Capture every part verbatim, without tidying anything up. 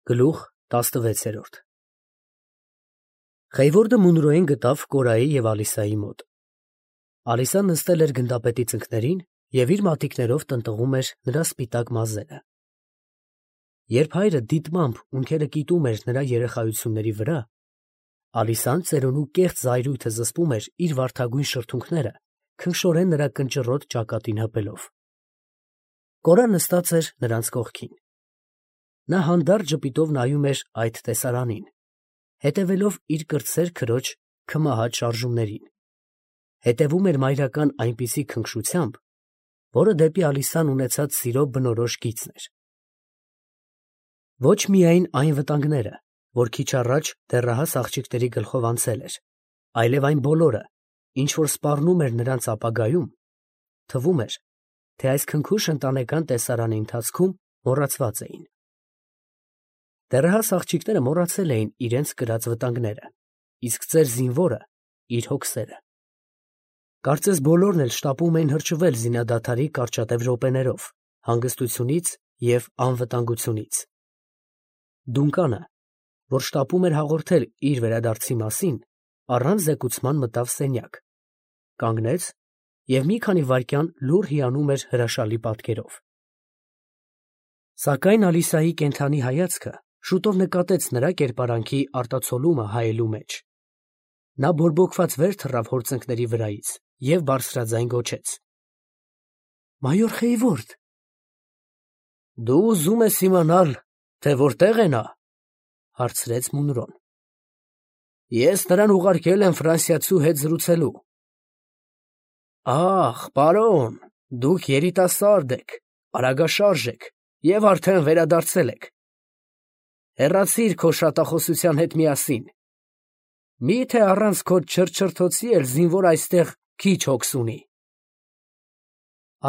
Գլուխ տասնվեցերորդ Խեյվորդը Մունրոյին գտավ Կորայի և Ալիսայի մոտ։ Ալիսան նստել էր գնդապետի ծնկներին և իր մատիկներով տնտղում էր նրա սպիտակ մազերը։ Երբ հայրը դիտմամբ ունքերը կիտում էր նրա երեխայությունների վրա, Ալիսան ծերունու կեղծ զայրույթը զսպում էր իր վարդագույն շրթունքները, քնքշորեն նրա կնճռոտ ճակատին հպելով։ Կորան նստած էր նրանց կողքին։ Նա հանդարտ ժպիտով նայում էր այդ տեսարանին, հետևելով իր կրտսեր քրոջ քմահաճ շարժումներին, հետևում էր մայրական այնպիսի քնքշությամբ, որը դեպի Ալիսան ունեցած սիրո բնորոշ գիծն էր։ Ոչ միայն այն վտանգները, որ քիչ առաջ դեռահաս աղջիկների գլխով անցել էր, այլև այն բոլորը, ինչ որ սպառնում էր նրանց ապագայում, թվում էր, թե այս քնքուշ ընտանեկան տեսարանի ընթացքում մոռացված էին։ Դեռահաս աղջիկները մոռացել էին իրենց կրած վտանգները, իսկ ծեր զինվորը իր հոգսերը։ Կարծես բոլորն էլ շտապում էին հրճվել զինադադարի կարճատև րոպեներով, հանգստությունից և անվտանգությունից։ Դունկանը, որ շտապում էր հաղորդել իր վերադարձի մասին, առանց զեկուցման մտավ սենյակ, կանգնեց և մի քանի վայրկյան լուռ հիանում էր հրաշալի պատկերով։ Սակայն Ալիսայի կենդանի հայացքը շուտով նկատեց նրա կերպարանքի արտացոլումը հայելու մեջ։ Նա բորբոքված վեր թռավ հոր ծնկների վրայից և բարձրաձայն գոչեց. «Մայոր Խեյվորդ»։ «Դու ուզում ես իմանալ, թե որտեղ է նա», ֊ հարցրեց Մունրոն։ «Ես նրան ուղարկել եմ ֆրանսիացու հետ զրուցելու»։ «Ախ, պարոն, դուք երիտասարդ եք, արագաշարժ եք և արդեն վերադարձել եք։ Հեռացիր քո շատախոսության հետ միասին։ Մի՞թե առանց քո չրչրթոցի էլ զինվոր այստեղ քիչ հոգս ունի»։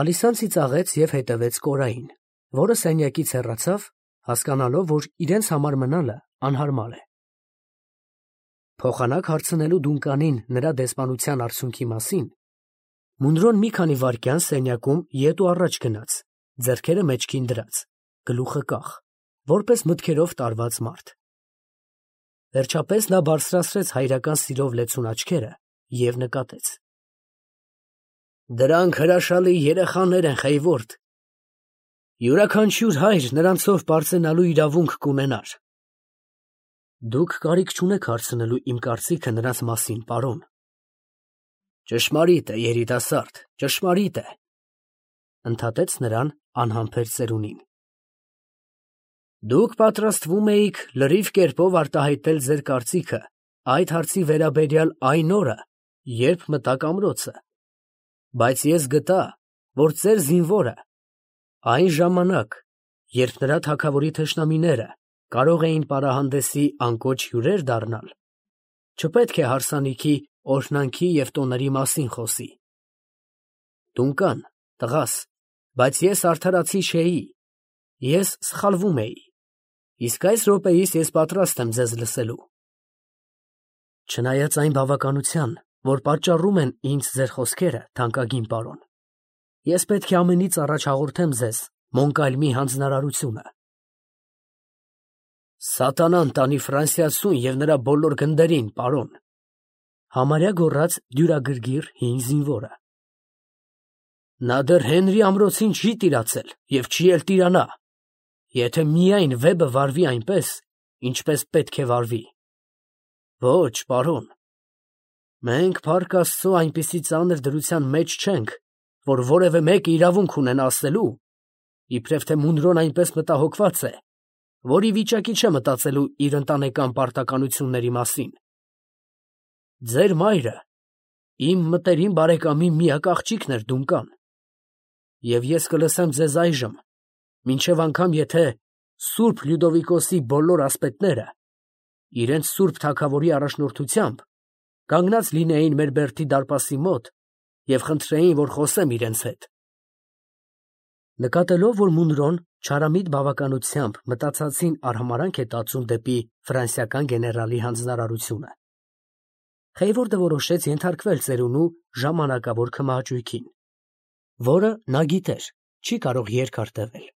Ալիսան ծիծաղեց և հետևեց Կորային, որը սենյակից հեռացավ, հասկանալով, որ իրենց համար մնալը անհարմար է։ Փոխանակ հարցնելու Դունկանին նրա դեսպանության արդյունքի մասին, Մունրոն մի քանի վայրկյան սենյակում ետ ու առաջ գնաց, ձեռքերը մեջքին դրած, գլուխը կախ, որպես մտքերով տարված մարդ։ Վերջապես նա բարձրացրեց հայրական սիրով լեցուն աչքերը և նկատեց. «Դրանք հրաշալի երեխաներ են, Խեյվորդ. յուրաքանչյուր հայր նրանցով պարծենալու իրավունք կունենար։ Դուք կարիք չունեք հարցնելու իմ կարծիքը նրանց մասին, պարոն»։ «Ճշմարիտ է, երիտասարդ, ճշմարիտ է», ֊ ընդհատեց նրան անհամբեր ծերունին։ «Դուք պատրաստվում էիք լրիվ կերպով արտահայտել ձեր կարծիքը այդ հարցի վերաբերյալ այն օրը, երբ մտաք ամրոցը, բայց ես գտա, որ ծեր զինվորը այն ժամանակ, երբ նրա թագավորի թշնամիները կարող էին պարահանդեսի անկոչ հյուրեր դառնալ, չպետք է հարսանիքի, օրհնանքի և տոների մասին խոսի։ Դունկան, տղաս, բայց ես արդարացի չէի, ես սխալվում էի, իսկ այս րոպեիս ես պատրաստ եմ ձեզ լսելու։ Չնայած այն բավականության, որ պատճառում են ինձ ձեր խոսքերը, թանկագին պարոն, ես պետք է ամենից առաջ հաղորդեմ ձեզ Մոնկալմի հանձնարարությունը։ Սատանան տանի ֆրանսիացուն և նրա բոլոր գնդերին, պարոն, ֊ համարյա գոռաց դյուրագրգիռ հին զինվորը։ Նա դեռ Հենրի ամրոցին չի տիրացել և չի էլ տիրանա, եթե միայն վեպը վարվի այնպես, ինչպես պետք է վարվի։ Ոչ, պարոն, մենք, փառք Աստծո, այնպիսի ծանր դրության մեջ չենք, որ որևէ մեկը իրավունք ունենա ասելու, իբրև թե Մունրոն այնպես մտահոգված է, որ ի վիճակի չէ մտածելու իր ընտանեկան պարտականությունների մասին։ Ձեր մայրը իմ մտերիմ բարեկամի միակ աղջիկն էր, Դունկան, և ես կլսեմ ձեզ այժմ, մինչև անգամ եթե Սուրբ Լյուդովիկոսի բոլոր ասպետները իրենց սուրբ թագավորի առաջնորդությամբ կանգնած լինեին մեր բերդի դարպասի մոտ և խնդրեին, որ խոսեմ իրենց հետ։ Նկատելով, որ Մունրոն չարամիտ բավականությամբ մտածածին արհամարհանք է տածում դեպի ֆրանսիական գեներալի հանձնարարությունը, Խեյվորդը որոշեց ենթարկվել ծերունու ժամանակավոր քմահաճույքին, որը նա գիտեր չի կարող երկար տևել։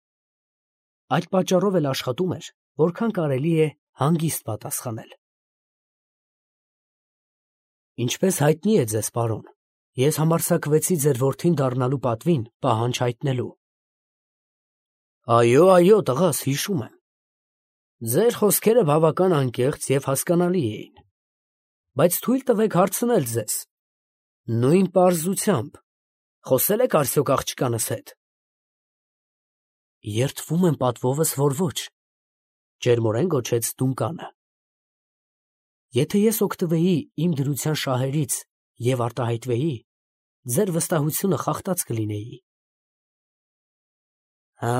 Այդ պատճառով էլ աշխատում էր, որքան կարելի է հանգիստ պատասխանել։ Ինչպես հայտնի է ձեզ, պարոն, ես համարձակվեցի ձեր որդին դառնալու պատվին պահանջ հայտնելու։ Այո, այո, տղաս, հիշում եմ։ Ձեր խոսքերը բավական անկեղծ և հասկանալի էին, բայց թույլ տվեք հարցնել ձեզ. նույն պարզությամբ խոսե՞լ եք արդյոք աղջկանս հետ։ Երդվում եմ պատվովս, որ ոչ, ջերմորեն գոչեց Դունկանը։ Եթե ես օգտվեի իմ դրության շահերից և արտահայտվեի, ձեր վստահությունը խախտած կլինեի։ Հա,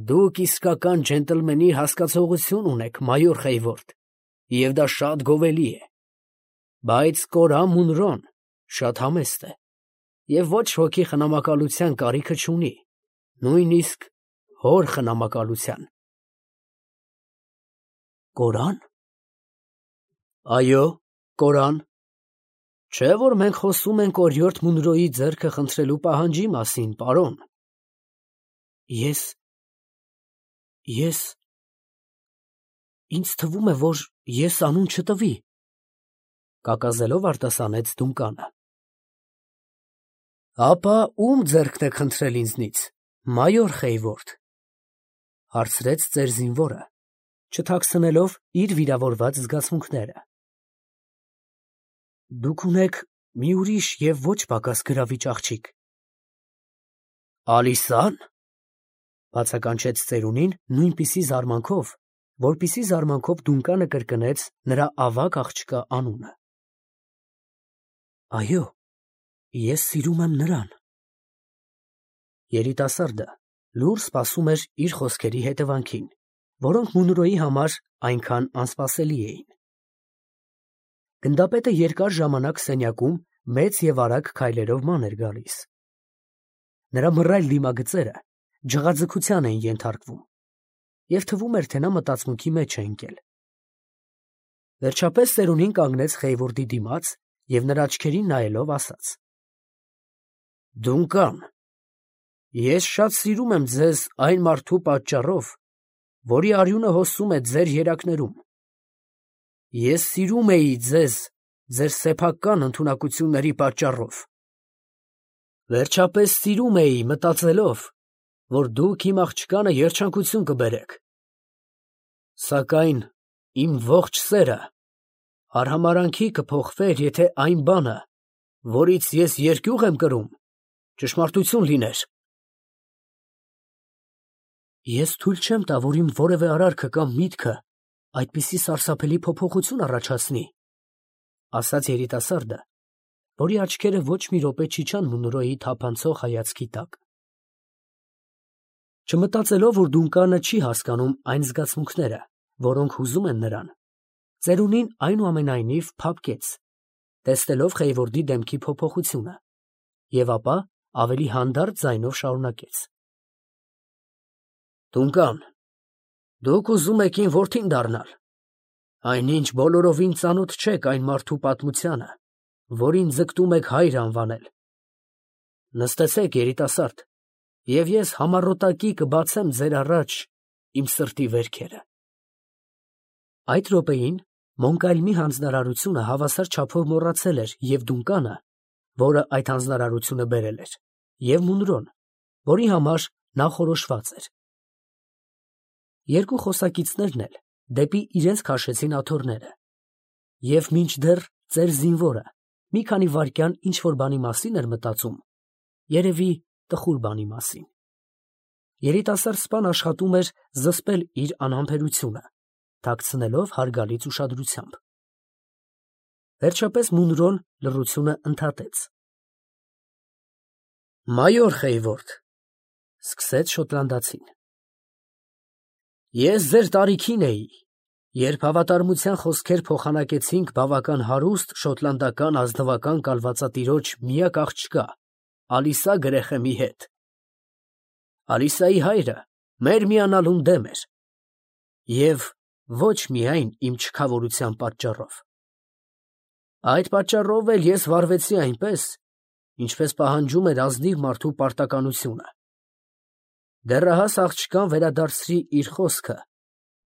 դուք իսկական ջենտլմենի հասկացողություն ունեք, մայոր Խեյվորդ, և դա շատ գովելի է, բայց Կորա Մունրոն շատ համեստ է և ոչ ոքի խնամակալության կարիքը չունի, նույնիսկ հոր խնամակալության։ Կորա՞ն։ Այո, Կորան, չէ՞ որ մենք խոսում ենք օրիորդ Մունրոյի ձեռքը խնդրելու պահանջի մասին, պարոն։ Ես… ես… ինձ թվում է, որ ես անուն չտվի, կակազելով արտասանեց Դունկանը։ Ապա ո՞ւմ ձեռքն եք խնդրել ինձնից, մայոր Խեյվորդ, հարցրեց ծեր զինվորը, չթաքցնելով իր վիրավորված զգացմունքները։ Դուք ունեք մի ուրիշ և ոչ պակաս գրավիչ աղջիկ։ Ալիսա՞ն, բացականչեց ծերունին նույնպիսի զարմանքով, որպիսի զարմանքով Դունկանը կրկնեց նրա ավագ աղջկա անունը։ Այո, ես սիրում եմ նրան։ Երիտասարդը լուռ սպասում էր իր խոսքերի հետևանքին, որոնք Մունրոյի համար այնքան անսպասելի էին։ Գնդապետը երկար ժամանակ սենյակում մեծ և արագ քայլերով ման էր գալիս։ Նրա մռայլ դիմագծերը ջղաձգության էին ենթարկվում, և թվում էր, թե նա մտածմունքի մեջ է ընկել։ Վերջապես ծերունին կանգնեց Խեյվորդի դիմաց և նրա աչքերին նայելով ասաց. Դունկան, ես շատ սիրում եմ ձեզ այն մարդու պատճառով, որի արյունը հոսում է ձեր երակներում։ Ես սիրում էի ձեզ ձեր սեփական ընդունակությունների պատճառով։ Վերջապես սիրում էի, մտածելով, որ դուք իմ աղջկանը երջանկություն կբերեք։ Սակայն իմ ողջ սերը արհամարհանքի կփոխվեր, եթե այն բանը, որից ես երկյուղ եմ կրում, ճշմարտություն լիներ։ Ես թույլ չեմ տա, որ իմ որևէ արարքը կամ միտքը այդպիսի սարսափելի փոփոխություն առաջացնի, ասաց երիտասարդը, որի աչքերը ոչ մի րոպե չիջան Մունրոյի թափանցող հայացքի տակ։ Չմտածելով, որ Դունկանը չի հասկանում այն զգացմունքները, որոնք հուզում են նրան, ծերունին այնուամենայնիվ փափկեց, տեսնելով Խեյվորդի դեմքի փոփոխությունը, և ապա ավելի հանդարտ ձայնով շարունակեց. Դունկան, դուք ուզում եք իմ որդին դառնալ, այնինչ բոլորովին ծանոթ չեք այն մարդու պատմությանը, որին ձգտում եք հայր անվանել։ Նստեցեք, երիտասարդ, և ես համառոտակի կբացեմ ձեր առաջ իմ սրտի վերքերը։ Այդ րոպեին Մոնկալմի հանձնարարությունը հավասար չափով մոռացել էր և Դունկանը, որը այդ հանձնարարությունը բերել էր, և Մունրոն, որի համար նա խորոշված էր։ Երկու խոսակիցներն էլ դեպի իրենց քաշեցին աթոռները, և մինչդեռ ծեր զինվորը մի քանի վայրկյան ինչ֊որ բանի մասին էր մտածում, երևի տխուր բանի մասին, երիտասարդ սպան աշխատում էր զսպել իր անհամբերությունը, թաքցնելով հարգալից ուշադրությամբ։ Վերջապես Մունրոն լռությունը ընդհատեց. Մայոր Խեյվորդ, սկսեց շոտլանդացին, ես ձեր տարիքին էի, երբ հավատարմության խոսքեր փոխանակեցինք բավական հարուստ շոտլանդական ազնվական կալվածատիրոջ միակ աղջկա Ալիսա Գրեխեմի հետ։ Ալիսայի հայրը մեր միանալուն դեմ էր, և ոչ միայն իմ չքավորության պատճառով։ Այդ պատճառով էլ ես վարվեցի այնպես, ինչպես պահանջում էր ազնիվ մարդու պարտականությունը։ Դեռահաս աղջկան վերադարձրի իր խոսքը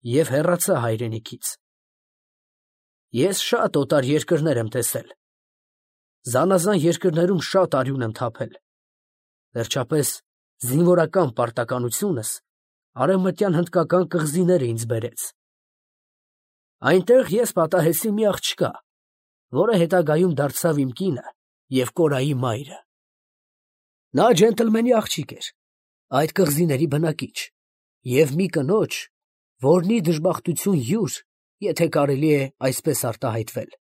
և հեռացա հայրենիքից։ Ես շատ օտար երկրներ եմ տեսել, զանազան երկրներում շատ արյուն եմ թափել, վերջապես զինվորական պարտականությունս արևմտյան հնդկական կղզիները ինձ բերեց։ Այնտեղ ես պատահեցի մի աղջկա, որը հետագայում դարձավ իմ կինը և կորայի մայրը։ Նա ջենտլմենի աղջիկ էր, այդ կղզիների բնակիչ, և մի կնոջ, որնի դժբախտություն յուր, եթե կարելի է այսպես արտահայտվել,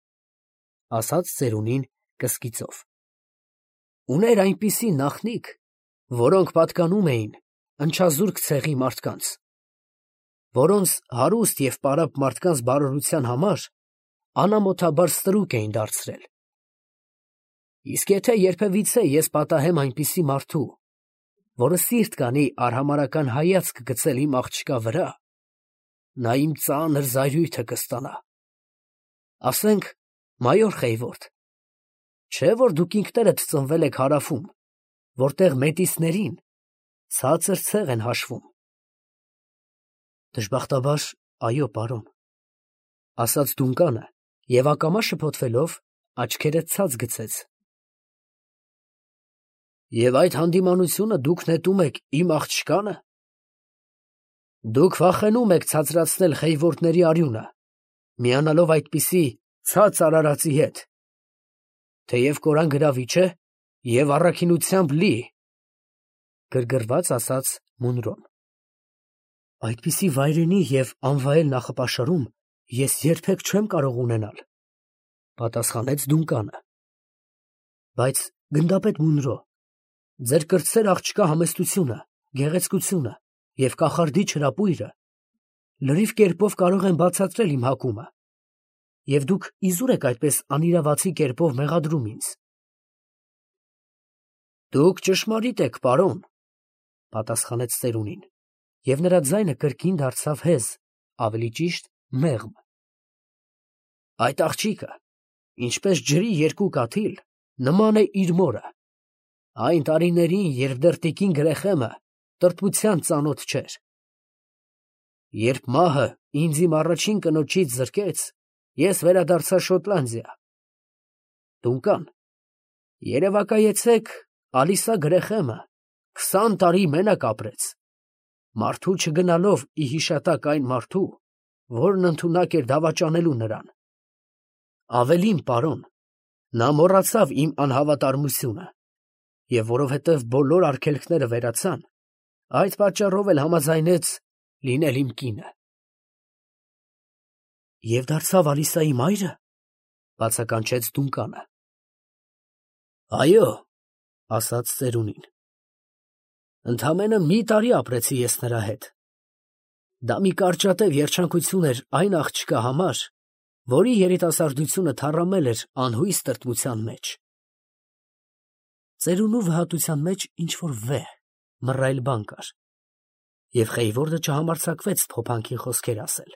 ասաց ծերունին կսկիծով։ Ուներ այնպիսի նախնիկ, որոնք պատկանում էին ընչազուրկ ցեղի մարդկանց, որոնց հարուստ և պարապ մարդկանց բարօրության համար անամոթաբար ստրուկ էին դարձրել։ Իսկ եթե երբևիցե ես պատահեմ այնպիսի մարդու, որը սիրտ կանի արհամարհական հայացք գցել իմ աղջկա վրա, նա իմ ծանր զայրույթը կստանա։ Ասենք, մայոր Խեյվորդ, չէ՞ որ դուք ինքներդ ծնվել եք Հարավում, որտեղ մետիսներին ցածր ցեղ են հաշվում։ Դժբախտաբար, այո, պարոն, ասաց Դունկանը և ակամա շփոթվելով աչքերը ցած գցեց։ Եվ այդ հանդիմանությունը դուք նետում եք իմ աղջկանը։ Դուք վախենում եք ցածրացնել Խեյվորդների արյունը, միանալով այդպիսի ցած արարածի հետ, թեև կորան գրավիչ է և առաքինությամբ լի, գրգռված ասաց Մունրոն։ Այդպիսի վայրենի և անվայել նախապաշարում ես երբեք չեմ կարող ունենալ, պատասխանեց Դունկանը։ Բայց գնդապետ Մունրո, ձեր կրտսեր աղջկա համեստությունը, գեղեցկությունը և կախարդիչ հրապույրը լրիվ կերպով կարող են բացատրել իմ հակումը, և դուք իզուր եք այդպես անիրավացի կերպով մեղադրում ինձ։ Դուք ճշմարիտ եք, պարոն, պատասխանեց ծերունին, և նրա ձայնը կրկին դարձավ հեզ, ավելի ճիշտ մեղմ։ Այդ աղջիկը, ինչպես ջրի երկու կաթիլ, նման է իր մորը, այն տարիներին, երբ դեռ տիկին Գրեխեմը տրտմության ծանոթ չէր։ Երբ մահը ինձ իմ առաջին կնոջից զրկեց, ես վերադարձա Շոտլանդիա։ Դունկան, երևակայեցեք, Ալիսա Գրեխեմը քսան տարի մենակ ապրեց, մարդու չգնալով ի հիշատակ այն մարդու, որն ընդունակ էր դավաճանելու նրան։ Ավելին, պարոն, նա մոռացավ իմ անհավատարմությունը, և որովհետև բոլոր արգելքները վերացան, այդ պատճառով էլ համաձայնեց լինել իմ կինը։ Եվ դարձավ Ալիսայի մայրը, բացականչեց Դունկանը։ Այո, ասաց ծերունին, ընդամենը մի տարի ապրեցի ես նրա հետ։ Դա մի կարճատև երջանկություն էր այն աղջկա համար, որի երիտասարդությունը թառամել էր անհույս տրտմության մեջ։ Ծերունու վհատության մեջ ինչ-որ վեհ, մռայլ բան կար, և Խեյվորդը չհամարձակվեց փոփանքի խոսքեր ասել։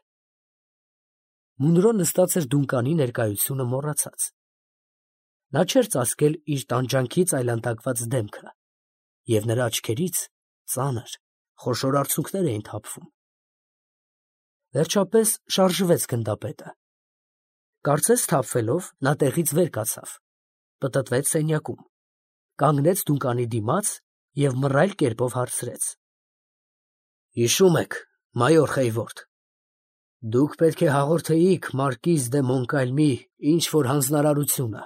Մունրոն նստած էր Դունկանի ներկայությունը մոռացած։ Նա չէր ծածկել իր տանջանքից այլանդակված դեմքը, և նրա աչքերից ծանր, խոշոր արցունքներ էին թափվում։ Վերջապես շարժվեց գնդապետը։ Կարծես թափվելով, նա տեղից վեր կացավ, պտտվեց սենյակում, կանգնեց Դունկանի դիմաց և մռայլ կերպով հարցրեց. Հիշո՞ւմ եք, մայոր Խեյվորդ, դուք պետք է հաղորդեիք մարկիզ դե Մոնկալմի ինչ֊որ հանձնարարությունը։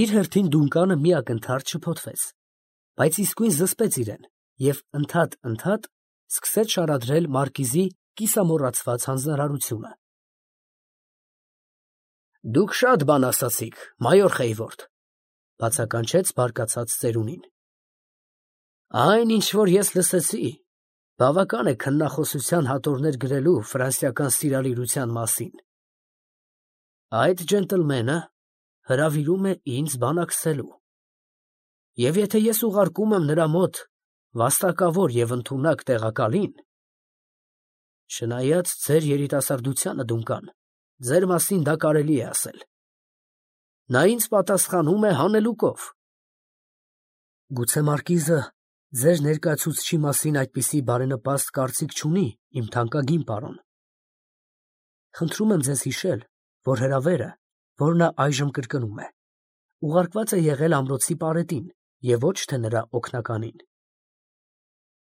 Իր հերթին Դունկանը մի ակնթարթ շփոթվեց, բայց իսկույն զսպեց իրեն և ընդհատ֊ընդհատ սկսեց շարադրել մարկիզի կիսամոռացված հանձնարարությունը։ Դուք շատ բան ասացիք, մայոր Խեյվորդ, բացականչեց բարկացած ծերունին։ Այն, ինչ որ ես լսեցի, բավական է քննախոսության հատորներ գրելու ֆրանսիական սիրալիրության մասին։ Այդ ջենտլմենը հրավիրում է ինձ բանակցելու, և եթե ես ուղարկում եմ նրա մոտ վաստակավոր և ընդունակ տեղակալին, չնայած ձեր երիտասարդությանը, Դունկան, ձեր մասին դա կարելի է ասել, նա ինձ պատասխանում է հանելուկով։ Գուցե մարկիզը Ձեր ներկայացուցչի մասին այդպիսի բարենպաստ կարծիք չունի իմ թանկագին պարոն։ Խնդրում եմ ձեզ հիշել, որ հրավերը, որ նա այժմ կրկնում է, ուղարկված է եղել ամրոցի պարետին և ոչ թե նրա օգնականին։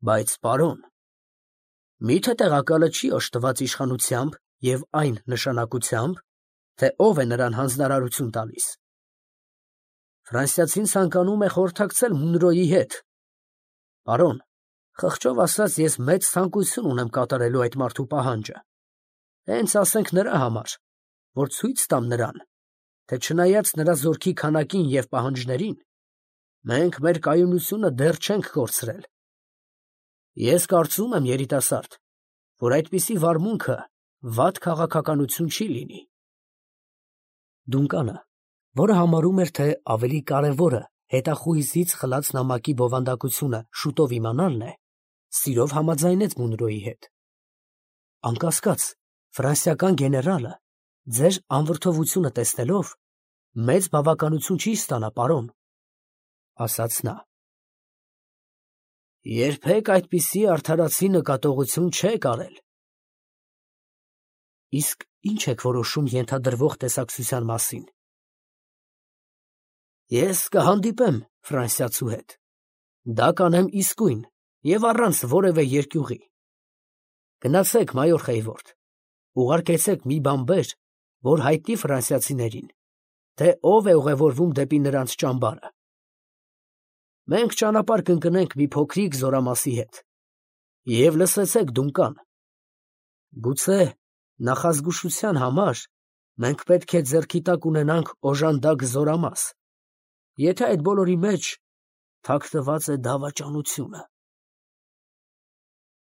Բայց, պարոն, մի՞թե տեղակալը չի օժտված իշխանությամբ և այն նշանակությամբ, թե ով է նրան հանձնարարություն տալիս։ Ֆրանսիացին ցանկանում է խորհրդակցել Մունրոյի հետ։ Պարոն, խղճով ասած, ես մեծ ցանկություն ունեմ կատարելու այդ մարդու պահանջը, հենց ասենք նրա համար, որ ցույց տամ նրան, թե չնայած նրա զորքի քանակին և պահանջներին, մենք մեր կայունությունը դեռ չենք կորցրել։ Ես կարծում եմ, երիտասարդ, որ այդպիսի վարմունքը վատ քաղաքականություն չի լինի։ Դունկանը, որը համարում էր, թե ավելի կարևորը հետախույզից խլած նամակի բովանդակությունը շուտով իմանալն է, սիրով համաձայնեց Մունրոյի հետ։ Անկասկած, ֆրանսիական գեներալը, ձեր անվրդովությունը տեսնելով, մեծ բավականություն չի ստանա, պարոն, ասաց նա։ Երբեք այդպիսի արդարացի նկատողություն չեք արել։ Իսկ ի՞նչ եք որոշում ենթադրվող տեսակցության մասին։ Ես կհանդիպեմ ֆրանսիացու հետ։ Դա կանեմ իսկույն և առանց որևէ երկյուղի։ Գնացեք, մայոր Խեյվորդ, ուղարկեցեք մի բանբեր, որ հայտնի ֆրանսիացիներին, թե ով է ուղևորվում դեպի նրանց ճամբարը։ Մենք ճանապարհ կընկնենք մի փոքրիկ զորամասի հետ։ Եվ լսեցեք, Դունկան, գուցե նախազգուշության համար մենք պետք է ձեռքի տակ ունենանք օժանդակ զորամաս, եթե այդ բոլորի մեջ թաքնված է դավաճանությունը։